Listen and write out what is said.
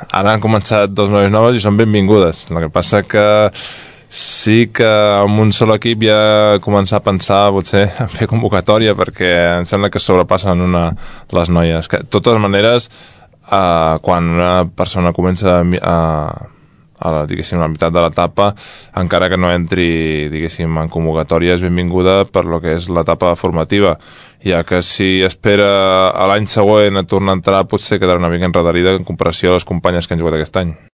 ara han començat dos noies noves i són benvingudes. El que passa que sí que amb un sol equip ja començar a pensar potser a fer convocatòria, perquè em sembla que sobrepassen les noies. De totes maneres, quan una persona comença diguéssim, la meitat de l'etapa, encara que no entri, diguéssim, en convocatòria, és benvinguda per lo que és l'etapa formativa, ja que si espera a l'any següent a tornar a entrar, potser quedarà una mica enredarida en comparació a les companyes que han jugat aquest any.